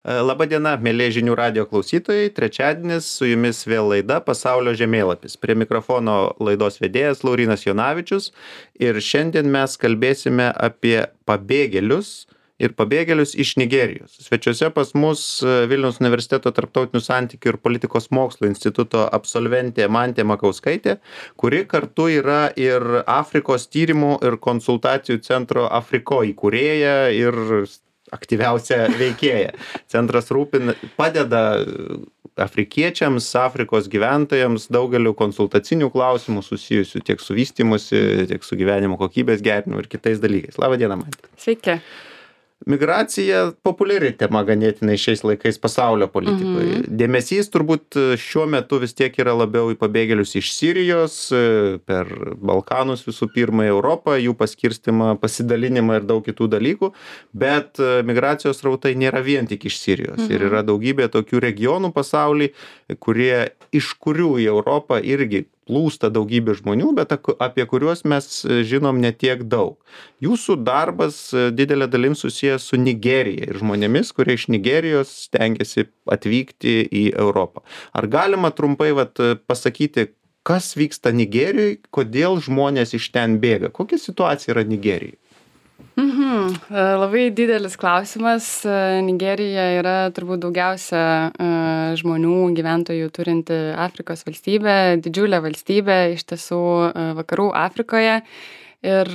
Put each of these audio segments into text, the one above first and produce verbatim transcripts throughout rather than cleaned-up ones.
Labą dieną, mėlyje žinių radijo klausytojai. Trečiadienis su jumis vėl laida Pasaulio žemėlapis. Prie mikrofono laidos vedėjas Laurynas Jonavičius. Ir šiandien mes kalbėsime apie pabėgėlius ir pabėgėlius iš Nigerijos. Svečiuose pas mus Vilniaus universiteto tarptautinių santykių ir politikos mokslų instituto absolventė Mantė Makauskaitė, kuri kartu yra ir Afrikos tyrimų ir konsultacijų centro Afriko įkūrėja ir aktyviausia veikėja. Centras rūpina, padeda afrikiečiams, Afrikos gyventojams daugeliu konsultacinių klausimų susijusių tiek su vystymusi, tiek su gyvenimo kokybės gerinimu ir kitais dalykais. Labą dieną, Mantė. Sveiki. Migracija populiari tema ganėtinai šiais laikais pasaulio politikoje. Mhm. Dėmesys turbūt šiuo metu vis tiek yra labiau į pabėgėlius iš Sirijos, per Balkanus visų pirma į Europą, jų paskirstimą, pasidalinimą ir daug kitų dalykų, bet migracijos srautai nėra vien tik iš Sirijos. Mhm. Ir yra daugybė tokių regionų pasauly, kurie, iš kurių į Europą irgi plūsta daugybė žmonių, bet apie kuriuos mes žinom ne tiek daug. Jūsų darbas didelė dalim susijęs su Nigerija ir žmonėmis, kurie iš Nigerijos stengiasi atvykti į Europą. Ar galima trumpai vat, pasakyti, kas vyksta Nigerijoje, kodėl žmonės iš ten bėga? Kokia situacija yra Nigerijoje? Mhm. Labai didelis klausimas. Nigerija yra turbūt daugiausia žmonių gyventojų turinti Afrikos valstybė, didžiulė valstybė iš tiesų vakarų Afrikoje. Ir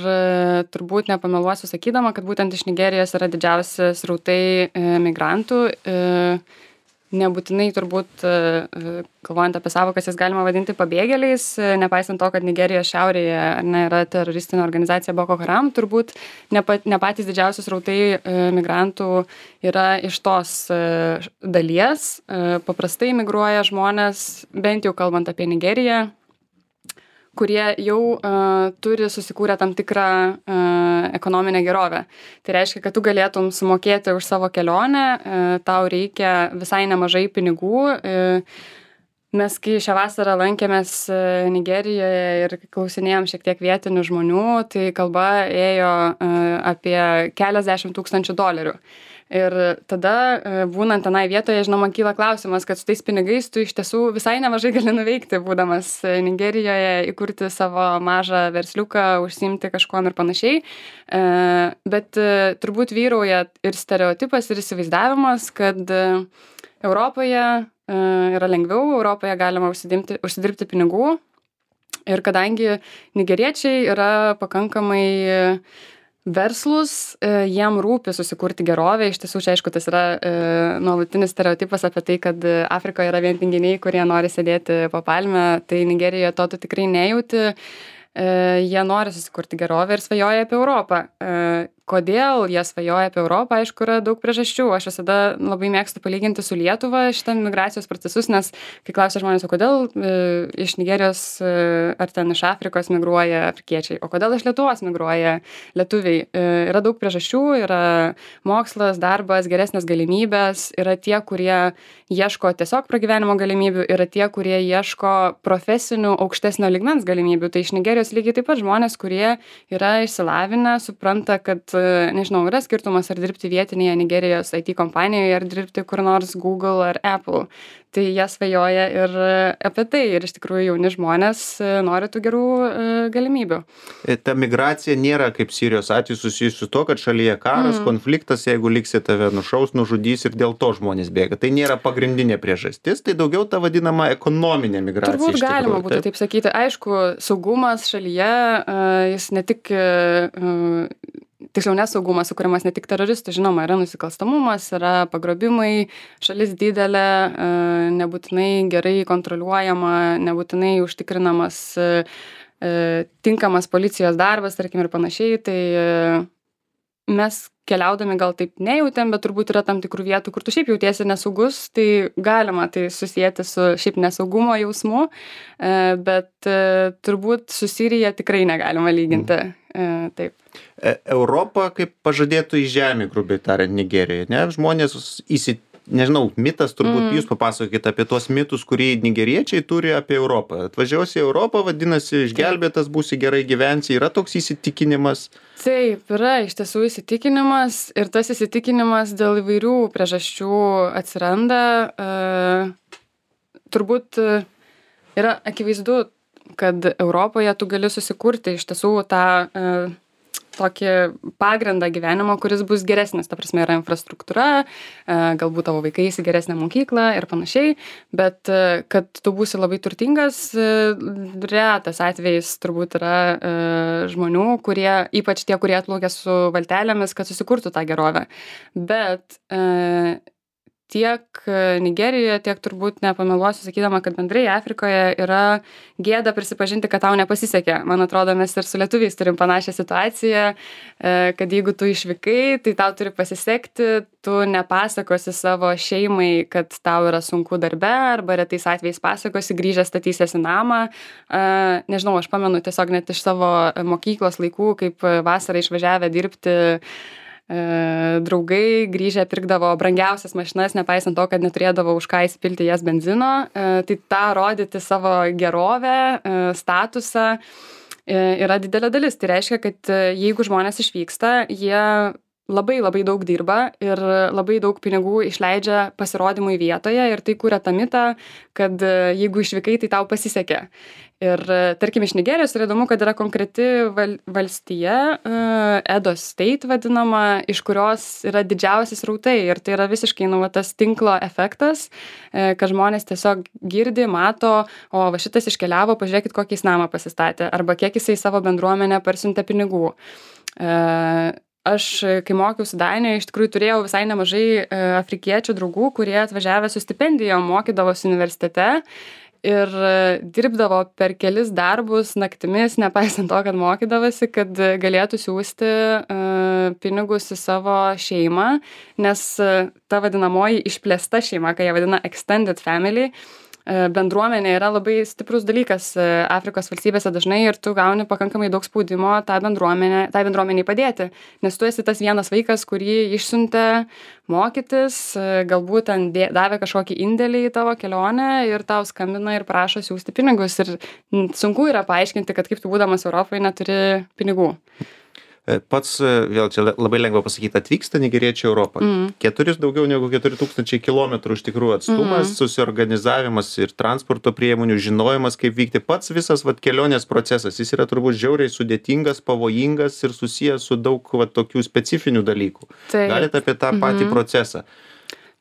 turbūt nepameluosiu sakydama, kad būtent iš Nigerijos yra didžiausi srautai migrantų. Nebūtinai turbūt, kalbant apie savokas, jas galima vadinti pabėgėliais, nepaisant to, kad Nigerijos šiaurėje ne, yra teroristinė organizacija Boko Haram, turbūt ne, pat, ne patys didžiausi srautai migrantų yra iš tos dalies. Paprastai migruoja žmonės, bent jau kalbant apie Nigeriją, kurie jau uh, turi susikūrę tam tikrą uh, ekonominę gerovę. Tai reiškia, kad tu galėtum sumokėti už savo kelionę, uh, tau reikia visai nemažai pinigų. Uh, mes, kai šią vasarą lankėmės uh, Nigerijoje ir klausinėjom šiek tiek vietinių žmonių, tai kalba ėjo uh, apie keliasdešimt tūkstančių dolerių. Ir tada, būnant tenai vietoje, žinoma, kyla klausimas, kad su tais pinigais tu iš tiesų visai nemažai gali nuveikti, būdamas Nigerijoje, įkurti savo mažą versliuką, užsiimti kažkuom ir panašiai. Bet turbūt vyrauja ir stereotipas, ir įsivaizdavimas, kad Europoje yra lengviau, Europoje galima užsidirbti, užsidirbti pinigų. Ir kadangi nigeriečiai yra pakankamai verslus, jiem rūpi susikurti gerovę. Iš tiesų, čia aišku, tas yra e, nuolatinis stereotipas apie tai, kad Afrikoje yra vien tinginiai, kurie nori sėdėti po palmę, tai Nigerijoje to tu tikrai nejauti. E, jie nori susikurti gerovę ir svajoja apie Europą. E, kodėl jie svajoja apie Europą, aišku, yra daug priežasčių. Aš visada labai mėgstu palyginti su Lietuva šitą migracijos procesus, nes kai klausia žmonės, o kodėl e, iš Nigerijos e, ar ten iš Afrikos migruoja afrikiečiai, o kodėl iš Lietuvos migruoja lietuviai. E, yra daug priežasčių, yra mokslas, darbas, geresnės galimybės, yra tie, kurie ieško tiesiog pragyvenimo galimybių, yra tie, kurie ieško profesinių aukštesnio lygmens galimybių. Tai iš Nigerijos lygiai taip pat žmonės, kurie yra išsilavinę, supranta, kad nežinau, yra skirtumas ar dirbti vietinėje Nigerijos I T kompanijoje, ar dirbti kur nors Google ar Apple. Tai jie svajoja ir apie tai. Ir iš tikrųjų jauni žmonės nori tų gerų galimybių. Ta migracija nėra kaip Sirijos atveju susijusi su to, kad šalyje karas, mm. konfliktas, jeigu liksi tave nušaus, nužudys ir dėl to žmonės bėga. Tai nėra pagrindinė priežastis, tai daugiau ta vadinama ekonominė migracija. Turbūt galima būtų taip sakyti. Aišku, saugumas šalyje, jis ne tik tiksliau nesaugumas sukuriamas ne tik teroristų, žinoma, yra nusikalstamumas, yra pagrobimai, šalis didelė, nebūtinai gerai kontroliuojama, nebūtinai užtikrinamas tinkamas policijos darbas, tarkim, ir panašiai. Tai mes keliaudami gal taip nejautėm, bet turbūt yra tam tikrų vietų, kur tu šiaip jautiesi nesaugus, tai galima tai susijęti su šiaip nesaugumo jausmu, bet turbūt su Sirija tikrai negalima lyginti. Taip. Europa kaip pažadėtų į žemę, grubiai tariant, Nigerijoje, ne? Žmonės įsi, nežinau, mitas turbūt, Mm. jūs papasakokite apie tuos mitus, kurį nigeriečiai turi apie Europą. Atvažiuosi į Europą, vadinasi, išgelbėtas, būsi gerai gyvensi, yra toks įsitikinimas. Taip, yra iš tiesų įsitikinimas ir tas įsitikinimas dėl įvairių priežasčių atsiranda. E, turbūt e, yra akivaizdu, kad Europoje tu gali susikurti iš tiesų tą e, tokį pagrindą gyvenimo, kuris bus geresnis. Ta prasme, yra infrastruktūra, e, galbūt tavo vaikai į geresnę mokyklą ir panašiai, bet e, kad tu būsi labai turtingas, e, retas atvejais turbūt yra e, žmonių, kurie, ypač tie, kurie atplaukia su valtelėmis, kad susikurtų tą gerovę. Bet e, tiek Nigerijoje, tiek turbūt nepameluosiu, sakydama, kad bendrai Afrikoje yra gėda prisipažinti, kad tau nepasisekė. Man atrodo, mes ir su lietuviais turim panašią situaciją, kad jeigu tu išvykai, tai tau turi pasisekti, tu nepasakosi savo šeimai, kad tau yra sunku darbe, arba retais atvejais pasakosi, grįžęs statysiesi namą. Nežinau, aš pamenu tiesiog net iš savo mokyklos laikų, kaip vasarą išvažiavę dirbti draugai grįžę pirkdavo brangiausias mašinas, nepaisant to, kad neturėdavo už ką įsipilti jas benzino. Tai tą rodyti savo gerovę, statusą yra didelė dalis. Tai reiškia, kad jeigu žmonės išvyksta, jie labai labai daug dirba ir labai daug pinigų išleidžia pasirodymui vietoje ir tai kuria tą mitą, kad jeigu išvykai, tai tau pasisekė. Ir tarkim iš Nigerijos yra įdomu, kad yra konkreti val, valstija, Edo State vadinama, iš kurios yra didžiausias rautai ir tai yra visiškai nu, va, tas tinklo efektas, kad žmonės tiesiog girdi, mato, o va šitas iškeliavo, pažiūrėkit, kokį jis namą pasistatė arba kiek jisai savo bendruomenę parsiuntė pinigų. Aš, kai mokiausi Danijoje, iš tikrųjų turėjau visai nemažai afrikiečių draugų, kurie atvažiavę su stipendijom mokydavosi universitete ir dirbdavo per kelis darbus naktimis, nepaisant to, kad mokydavosi, kad galėtų siūsti uh, pinigus į savo šeimą, nes uh, ta vadinamoji išplėsta šeima, kai jie vadina extended family, bendruomenė yra labai stiprus dalykas Afrikos valstybėse dažnai ir tu gauni pakankamai daug spaudimo tą bendruomenę, tai bendruomeniai padėti, nes tu esi tas vienas vaikas, kurį išsiuntė mokytis, galbūt ten davė kažkokį indėlį į tavo kelionę ir tau skambina ir prašo siūsti pinigus ir sunku yra paaiškinti, kad kaip tu būdamas Europoje neturi pinigų. Pats, vėl čia labai lengva pasakyti, atvyksta nigeriečiai Europą. Mm. Keturis daugiau negu keturi tūkstančiai kilometrų iš tikrųjų atstumas, mm. susiorganizavimas ir transporto priemonių, žinojimas, kaip vykti. Pats visas vat, kelionės procesas, jis yra turbūt žiauriai sudėtingas, pavojingas ir susijęs su daug vat, tokių specifinių dalykų. Tai. Galite apie tą patį mm-hmm. procesą.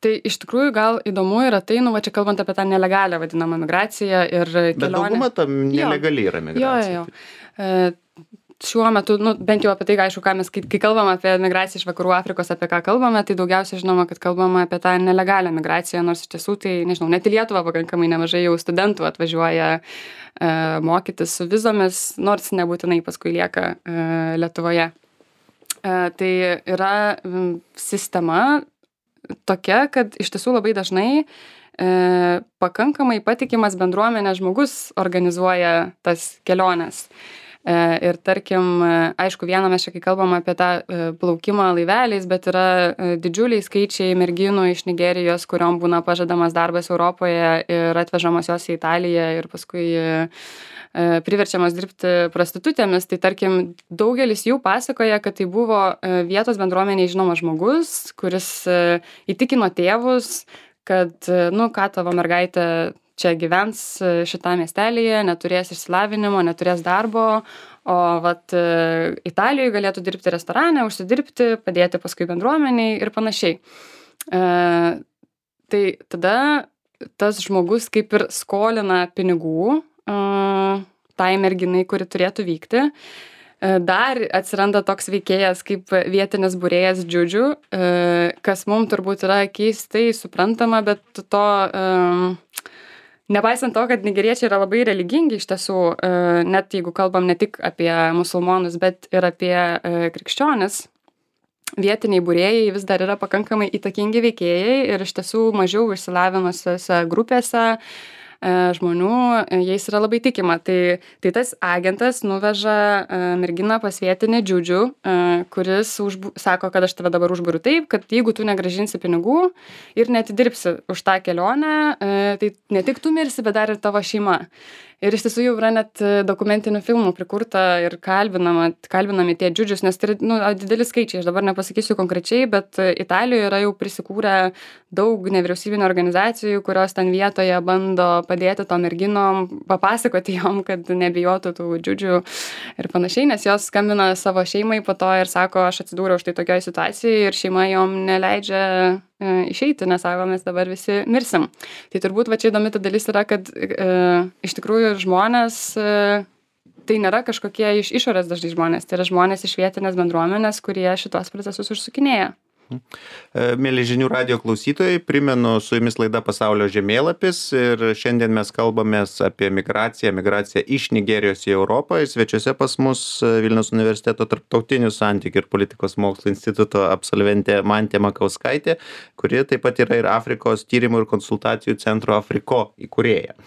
Tai iš tikrųjų gal įdomu yra tai, nu va čia kalbant apie tą nelegalią vadinamą migraciją ir kelionę. Bet dauguma tam nelegali yra migracija. Jo, jo, jo. E, Šiuo metu, nu, bent jau apie tai, aišku, ką mes, kai, kai kalbam apie migraciją iš vakarų Afrikos, apie ką kalbame, tai daugiausiai žinoma, kad kalbame apie tą nelegalią migraciją, nors iš tiesų tai, nežinau, net į Lietuvą pakankamai nemažai jau studentų atvažiuoja e, mokytis su vizomis, nors nebūtinai paskui lieka e, Lietuvoje. E, tai yra m, sistema tokia, kad iš tiesų labai dažnai e, pakankamai patikimas bendruomenės žmogus organizuoja tas keliones. Ir tarkim, aišku, vieną mes čia kai kalbam apie tą plaukimą laiveliais, bet yra didžiuliai skaičiai merginų iš Nigerijos, kuriom būna pažadamas darbas Europoje ir atvežamos jos į Italiją ir paskui priverčiamos dirbti prostitutėmis. Tai tarkim, daugelis jų pasakoja, kad tai buvo vietos bendruomeniai žinomas žmogus, kuris įtikino tėvus, kad, nu, ką tavo mergaitė čia gyvens šitą miestelyje, neturės išsilavinimo, neturės darbo, o vat Italijoje galėtų dirbti restorane, užsidirbti, padėti paskui bendruomeniai ir panašiai. E, tai tada tas žmogus kaip ir skolina pinigų e, tai merginai, kuri turėtų vykti. E, dar atsiranda toks veikėjas kaip vietinis būrėjas džiudžių, e, kas mums turbūt yra keistai suprantama, bet to... E, Nepaisant to, kad nigeriečiai yra labai religingi iš tiesų, net jeigu kalbam ne tik apie musulmonus, bet ir apie krikščionis, vietiniai būrėjai vis dar yra pakankamai įtakingi veikėjai ir iš tiesų mažiau išsilavinusiose grupėse žmonių, jais yra labai tikima. Tai, tai tas agentas nuveža merginą pas vietinį džiudžių, kuris užbu, sako, kad aš tave dabar užburiu taip, kad jeigu tu negrąžinsi pinigų ir netidirbsi už tą kelionę, tai ne tik tu mirsi, bet dar ir tavo šeima. Ir iš tiesų jau yra net dokumentinių filmų prikurta ir kalbinama, kalbinami tie džiudžius, nes tai yra nu, dideli skaičiai, aš dabar nepasakysiu konkrečiai, bet Italijoje yra jau prisikūrę daug nevyriausybinių organizacijų, kurios ten vietoje bando padėti tom merginom, papasakoti jom, kad nebijotų tų džiudžių ir panašiai, nes jos skambina savo šeimai po to ir sako, aš atsidūriau štai tokioj situacijai ir šeima jom neleidžia išeiti, nes sako, mes dabar visi mirsim. Tai turbūt va čia įdomi ta dalis yra, kad e, iš tikrųjų žmonės, e, tai nėra kažkokie iš išorės dažnai žmonės, tai yra žmonės iš vietinės bendruomenės, kurie šitos procesus užsukinėja. Mėly žinių radijo klausytojai, primenu, su jumis laida Pasaulio žemėlapis ir šiandien mes kalbamės apie migraciją, migraciją iš Nigerijos į Europą. Ir svečiuose pas mus Vilniaus universiteto tarptautinių santykių ir politikos mokslų instituto absolventė Mantė Makauskaitė, kuri taip pat yra ir Afrikos tyrimų ir konsultacijų centro Afriko įkūrėja.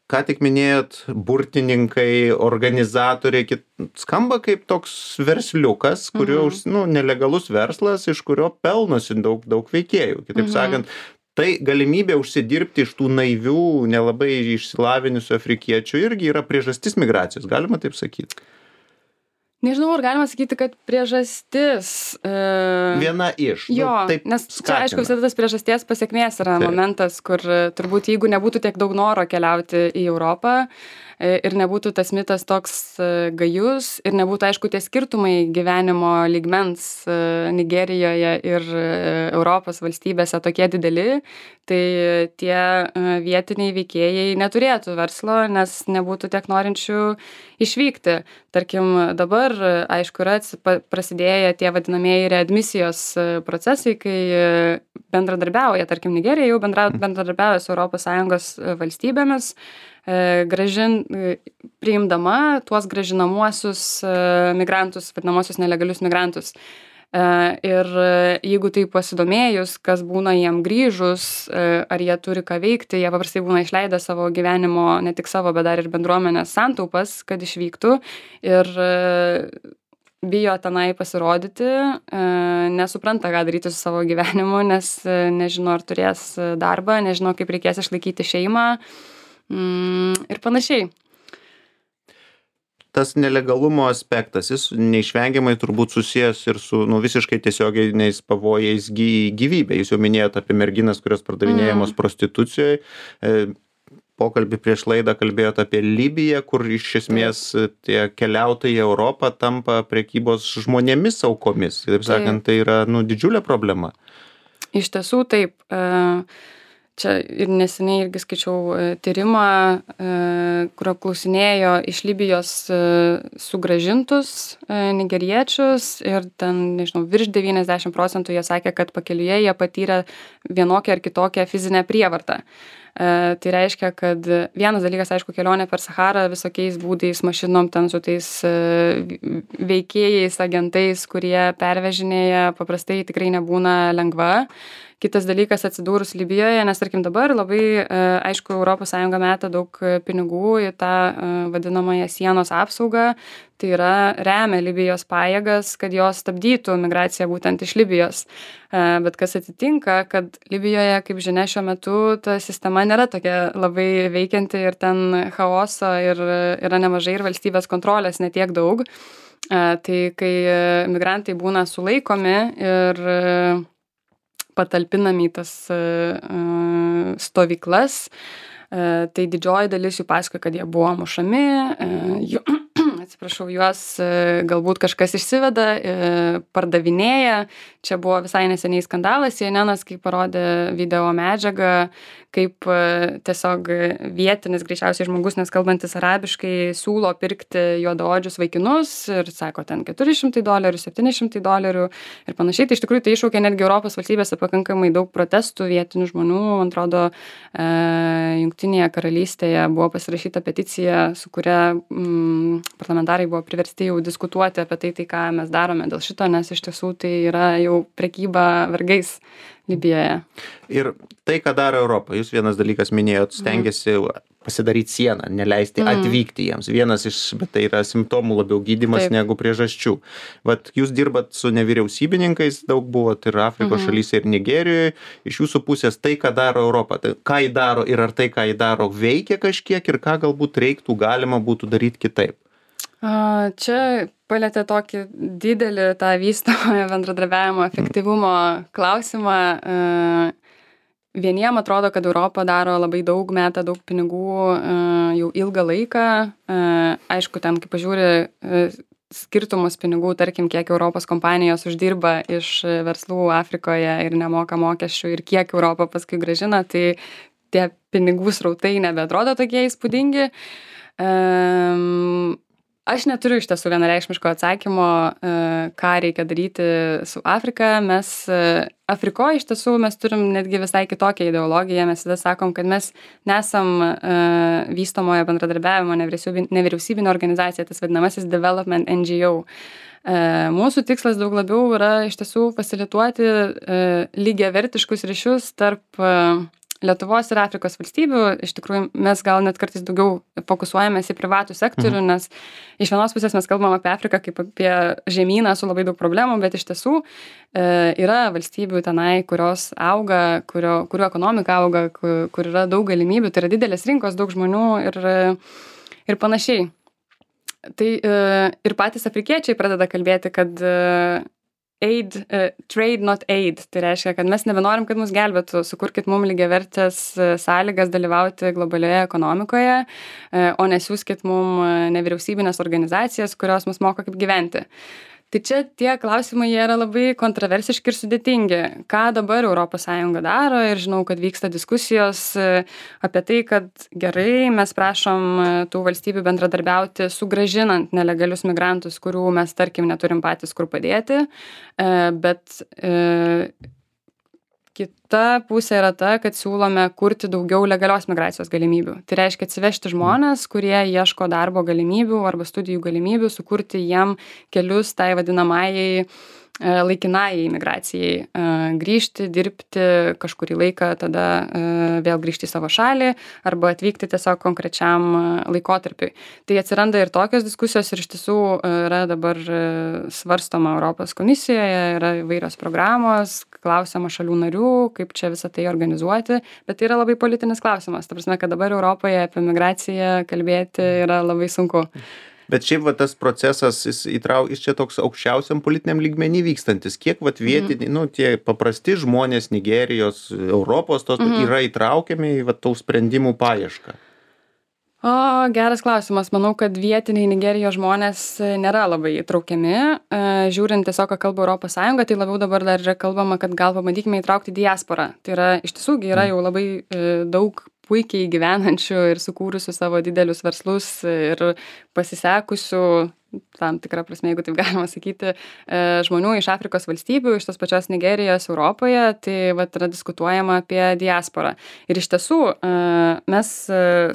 Ką tik minėjot, burtininkai, organizatoriai, kit... skamba kaip toks versliukas, kurio, mhm. nu, nelegalus verslas, iš kurio pelnosi daug, daug veikėjų. Kitaip mhm. sakant, tai galimybė užsidirbti iš tų naivių, nelabai išsilavinusių afrikiečių irgi yra priežastis migracijos, galima taip sakyti. Nežinau, ar galima sakyti, kad priežastis... E... Viena iš. Jo, nu, taip nes skatina. Čia, aišku, visada tas priežasties pasiekmės yra taip. Momentas, kur turbūt jeigu nebūtų tiek daug noro keliauti į Europą ir nebūtų tas mitas toks gajus ir nebūtų, aišku, tie skirtumai gyvenimo lygmens Nigerijoje ir Europos valstybėse tokie dideli, tai tie vietiniai veikėjai neturėtų verslo, nes nebūtų tiek norinčių išvykti. Tarkim, dabar, aišku, yra prasidėję tie vadinamieji readmisijos procesai, kai bendradarbiauja, tarkim, Nigerija jau bendra, bendradarbiauja su Europos Sąjungos valstybėmis, gražin, priimdama tuos gražinamuosius migrantus, vadinamosius nelegalius migrantus. Ir jeigu tai pasidomėjus, kas būna jiem grįžus, ar jie turi ką veikti, jie paprastai būna išleidę savo gyvenimo, ne tik savo, bet dar ir bendruomenės santaupas, kad išvyktų ir bijo tenai pasirodyti, nesupranta, ką daryti su savo gyvenimu, nes nežino, ar turės darbą, nežino, kaip reikės išlaikyti šeimą ir panašiai. Tas nelegalumo aspektas, jis neišvengiamai turbūt susijęs ir su nu, visiškai tiesioginiais pavojais gyvybė. Jūs jau minėjote apie merginas, kurios pardavinėjamos mm. prostitucijoje. Pokalbį prieš laidą kalbėjote apie Libiją, kur iš esmės tie keliautojai į Europą tampa prekybos žmonėmis aukomis. Taip sakant, tai yra nu, didžiulė problema. Iš tiesų taip. Čia ir neseniai irgi skaičiau tyrimą, kurio klausinėjo iš Libijos sugrąžintus nigeriečius ir ten, nežinau, virš devyniasdešimt procentų jie sakė, kad pakeliuje jie patyrė vienokią ar kitokią fizinę prievartą. Tai reiškia, kad vienas dalykas, aišku, kelionė per Saharą visokiais būdais, mašinom, ten su tais veikėjais, agentais, kurie pervežinėja, paprastai tikrai nebūna lengva. Kitas dalykas atsidūrus Libijoje, nes tarkim dabar labai, aišku, Europos Sąjunga meta daug pinigų į tą vadinamąją sienos apsaugą, tai yra remia Libijos pajėgas, kad jos stabdytų migraciją būtent iš Libijos. Bet kas atsitinka, kad Libijoje, kaip žinia, šiuo metu ta sistema nėra tokia labai veikianti ir ten chaoso ir yra nemažai ir valstybės kontrolės netiek daug. Tai kai migrantai būna sulaikomi ir patalpinami į tas uh, stovyklas, uh, tai didžioji dalis jų pasakoja, kad jie buvo mušami, uh, jų, atsiprašau, juos uh, galbūt kažkas išsiveda, uh, pardavinėja. Čia buvo visai neseniai skandalas, C N N-as, kai parodė video medžiagą, kaip uh, tiesiog vietinis, greičiausiai žmogus, nes kalbantis arabiškai, siūlo pirkti juodaodžius vaikinus ir sako, ten keturi šimtai dolerių, septyni šimtai dolerių ir panašiai. Tai iš tikrųjų tai iššaukė netgi Europos valstybėse pakankamai daug protestų vietinių žmonių. Man atrodo, uh, Jungtinėje karalystėje buvo pasirašyta peticija, su kuria mm, parlamentarai parlamentarai buvo priversti jau diskutuoti apie tai, tai ką mes darome dėl šito, nes iš tiesų tai yra jau prekyba vergais Libijoje. Ir tai, ką daro Europą, jūs vienas dalykas minėjot, stengiasi mm. pasidaryti sieną, neleisti mm. atvykti jiems. Vienas iš, bet tai yra simptomų labiau gydymas Taip. Negu priežasčių. Vat jūs dirbat su nevyriausybininkais, daug buvot ir Afrikos mm. šalyse, ir Nigerijoje. Iš jūsų pusės tai, ką daro Europą, tai ką jį daro ir ar tai, ką jį daro, veikia kažkiek ir ką galbūt reiktų, galima būtų daryti kitaip. Čia palietė tokį didelį tą vystamojo bendradarbiavimo efektyvumo klausimą. Vieniem atrodo, kad Europa daro labai daug, meta daug pinigų jau ilgą laiką. Aišku, ten, kaip pažiūri, skirtumus pinigų, tarkim, kiek Europos kompanijos uždirba iš verslų Afrikoje ir nemoka mokesčių ir kiek Europa paskui grąžina, tai tie pinigų srautai nebeatrodo tokie įspūdingi. Um, Aš neturiu iš tiesų vienareikšmiško atsakymo, ką reikia daryti su Afrika. Mes Afrikoje iš tiesų mes turim netgi visai kitokią ideologiją. Mes tada sakom, kad mes nesam vystomojo bendradarbiavimo nevyriausybinė organizacija, tas vadinamasis Development N G O. Mūsų tikslas daug labiau yra iš tiesų fasilituoti lygiavertiškus ryšius tarp Lietuvos ir Afrikos valstybių. Iš tikrųjų, mes gal net kartais daugiau fokusuojamės į privatų sektorių, mhm. nes iš vienos pusės mes kalbam apie Afriką kaip apie žemyną su labai daug problemų, bet iš tiesų e, yra valstybių tenai, kurios auga, kurio, kurio ekonomika auga, kur, kur yra daug galimybių, tai yra didelės rinkos, daug žmonių ir, ir panašiai. Tai e, ir patys afrikiečiai pradeda kalbėti, kad e, aid, uh, trade not aid, tai reiškia, kad mes nebenorim, kad mus gelbėtų, sukurkit mums lygiavertės sąlygas dalyvauti globalioje ekonomikoje, uh, o nesiųskit mums nevyriausybinės organizacijas, kurios mus moko kaip gyventi. Tai čia tie klausimai jie yra labai kontroversiški ir sudėtingi. Ką dabar Europos Sąjunga daro ir žinau, kad vyksta diskusijos apie tai, kad gerai, mes prašom tų valstybių bendradarbiauti sugrąžinant nelegalius migrantus, kurių mes, tarkim, neturim patys kur padėti, bet kita pusė yra ta, kad siūlome kurti daugiau legalios migracijos galimybių. Tai reiškia atsivežti žmonės, kurie ieško darbo galimybių arba studijų galimybių, sukurti jiem kelius tai vadinamajai laikinai imigracijai, grįžti, dirbti kažkurį laiką, tada vėl grįžti į savo šalį arba atvykti tiesiog konkrečiam laikotarpiui. Tai atsiranda ir tokios diskusijos ir iš tiesų yra dabar svarstoma Europos komisijoje, yra įvairios programos, klausiama šalių narių, kaip čia visą tai organizuoti, bet tai yra labai politinis klausimas. Ta prasme, kad dabar Europoje apie migraciją kalbėti yra labai sunku. Bet šiaip va tas procesas, jis įtrau, jis čia toks aukščiausiam politiniam lygmenį vykstantis. Kiek va vietiniai, mm. nu, tie paprasti žmonės Nigerijos, Europos, tos mm. yra įtraukiami į va tų sprendimų paiešką? O, geras klausimas. Manau, kad vietiniai Nigerijos žmonės nėra labai įtraukiami. Žiūrint tiesiog, ką kalba Europos Sąjunga, tai labiau dabar dar yra kalbama, kad gal pabandykime įtraukti diasporą. Tai yra, iš tiesų, yra jau labai daug puikiai gyvenančių ir sukūrusių savo didelius verslus ir pasisekusių, tam tikrą prasme, jeigu taip galima sakyti, žmonių iš Afrikos valstybių, iš tos pačios Nigerijos, Europoje, tai vat yra diskutuojama apie diasporą. Ir iš tiesų, mes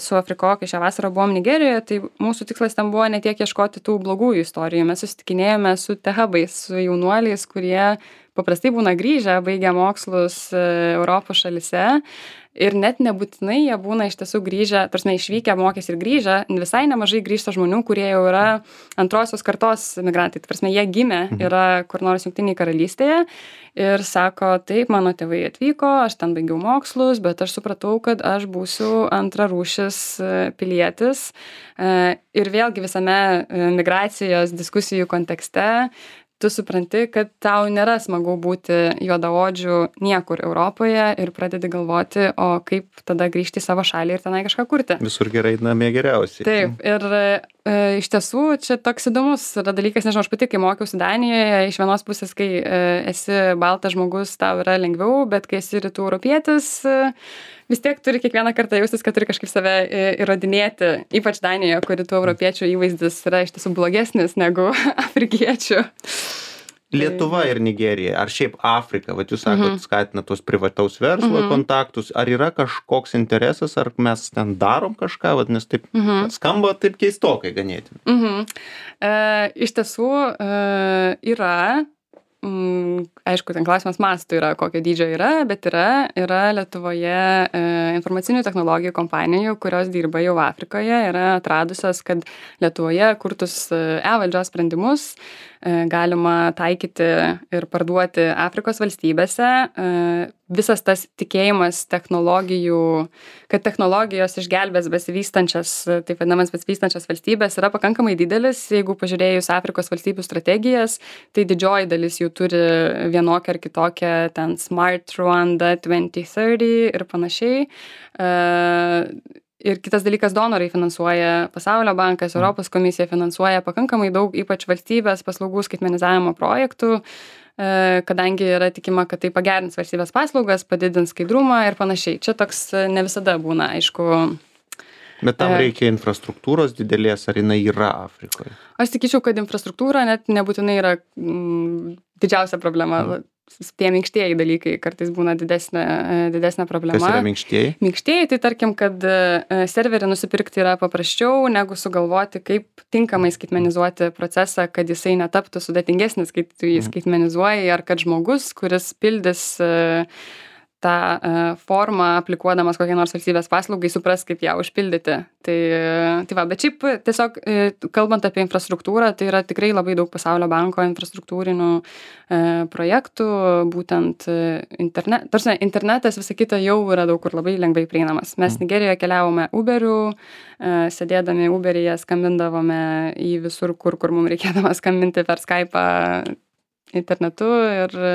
su Afrikokai šią vasarą buvom Nigerijoje, tai mūsų tikslas ten buvo ne tiek ieškoti tų blogųjų istorijų, mes susitikinėjome su tehabais, su jaunuoliais, kurie paprastai būna grįžę, baigę mokslus Europos šalyse. Ir net nebūtinai jie būna iš tiesų grįžę, tarsi išvykę, mokės ir grįžę, visai nemažai grįžta žmonių, kurie jau yra antrosios kartos migrantai. Tai prasme, jie gimė, yra kur nors Jungtinėje karalystėje ir sako, taip, mano tėvai atvyko, aš ten baigiau mokslus, bet aš supratau, kad aš būsiu antrarūšis pilietis. Ir vėlgi visame migracijos diskusijų kontekste tu supranti, kad tau nėra smagu būti juodaodžių niekur Europoje ir pradedi galvoti, o kaip tada grįžti į savo šalį ir tenai kažką kurti. Visur gerai, namie geriausiai. Taip, ir e, iš tiesų čia toks įdomus yra dalykas, nežinau, aš pati, kai mokiausi Danijoje, iš vienos pusės, kai e, esi baltas žmogus, tau yra lengviau, bet kai esi rytų europietis, e, vis tiek turi kiekvieną kartą jaustis, kad turi kažkaip save įrodinėti, ypač Danijoje, kur rytų europiečių įvaizdis yra iš tiesų blogesnis negu afrikiečių. Lietuva ir Nigerija, ar šiaip Afrika, vat jūs sakot, Mhm. skatina tos privataus verslo Mhm. kontaktus, ar yra kažkoks interesas, ar mes ten darom kažką, vat, nes taip Mhm. skamba taip keistokai ganėtinai. Mhm. E, iš tiesų e, yra, mm, aišku, ten klausimas mastų yra, kokio dydžio yra, bet yra, yra Lietuvoje e, informacinių technologijų kompanijų, kurios dirba jau Afrikoje, yra atradusios, kad Lietuvoje kurtus e, e-valdžios sprendimus e, galima taikyti ir parduoti Afrikos valstybėse. E, visas tas tikėjimas technologijų, kad technologijos išgelbės besivystančias, taip vadinamas besivystančias valstybės, yra pakankamai didelis. Jeigu pažiūrėjus Afrikos valstybių strategijas, tai didžioji dalis jų turi vienokią ar kitokią ten Smart Rwanda dvidešimt trisdešimt ir panašiai. E, Ir kitas dalykas, donorai finansuoja, Pasaulio bankas, Europos komisija finansuoja pakankamai daug, ypač valstybės paslaugų skaitmenizavimo projektų, e, kadangi yra tikima, kad tai pagerins valstybės paslaugas, padidins skaidrumą ir panašiai. Čia toks e, ne visada būna, aišku. Bet tam E. reikia infrastruktūros didelės, ar jinai yra Afrikoje? Aš sakyčiau, kad infrastruktūra net nebūtinai yra mm, didžiausia problema. Mm. Tie minkštieji dalykai kartais būna didesnė, e, didesnė problema. Kas yra minkštieji? Minkštieji, tai tarkim, kad e, serverį nusipirkti yra paprasčiau, negu sugalvoti, kaip tinkamai skaitmenizuoti procesą, kad jisai netaptų sudėtingesnis, kai tu jį skaitmenizuoji, ar kad žmogus, kuris pildys e, tą e, formą, aplikuodamas kokią nors valstybės paslaugai, supras, kaip ją užpildyti. Tai, tai va, bet šiaip tiesiog e, kalbant apie infrastruktūrą, tai yra tikrai labai daug Pasaulio banko infrastruktūrinių e, projektų, būtent e, internet, tarsi internetas, visa kita jau yra daug kur labai lengvai prieinamas. Mes Nigerijoje keliavome Uberiu, e, sėdėdami Uberyje skambindavome į visur, kur, kur mums reikėdavo skambinti per Skype'ą internetu ir e,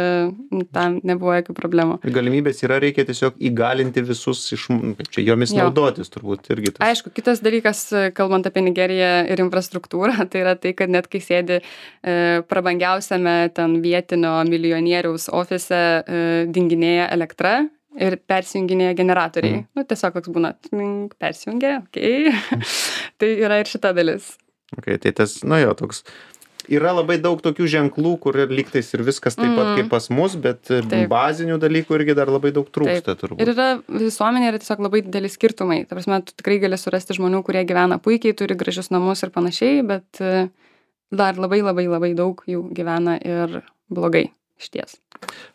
tam nebuvo jokių problemų. Galimybės yra, reikia tiesiog įgalinti visus iš, kaip čia, jomis Jo. naudotis turbūt irgi. Tas. Aišku, kitas dalykas, kalbant apie Nigeriją ir infrastruktūrą, tai yra tai, kad net kai sėdi e, prabangiausiame ten vietinio milijonieriaus ofise, e, dinginėja elektra ir persijunginėja generatoriai. Mm. Nu, tiesiog koks būna, tmink, persijungia, okei. Okay. Tai yra ir šita dalis. Okay, tai tas, nu jo, toks. Yra labai daug tokių ženklų, kur lygtais ir viskas taip pat kaip pas mus, bet Taip. bazinių dalykų irgi dar labai daug trūksta Taip. turbūt. Ir yra visuomenė yra tiesiog labai dideli skirtumai. Ta prasme, tu tikrai gali surasti žmonių, kurie gyvena puikiai, turi gražius namus ir panašiai, bet e, dar labai labai labai daug jų gyvena ir blogai išties.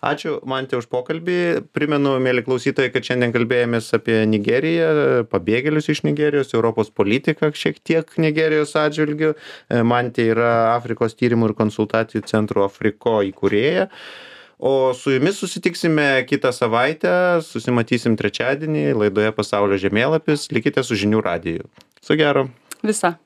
Ačiū, Mante, už pokalbį. Primenu, mėly klausytojai, kad šiandien kalbėjomės apie Nigeriją, pabėgėlius iš Nigerijos, Europos politiką šiek tiek Nigerijos atžvilgių. Mante yra Afrikos tyrimų ir konsultacijų centro Afriko įkūrėja. O su jumis susitiksime kitą savaitę, susimatysim trečiadienį laidoje Pasaulio žemėlapis. Likite su žinių radiju. Su gero. Visa.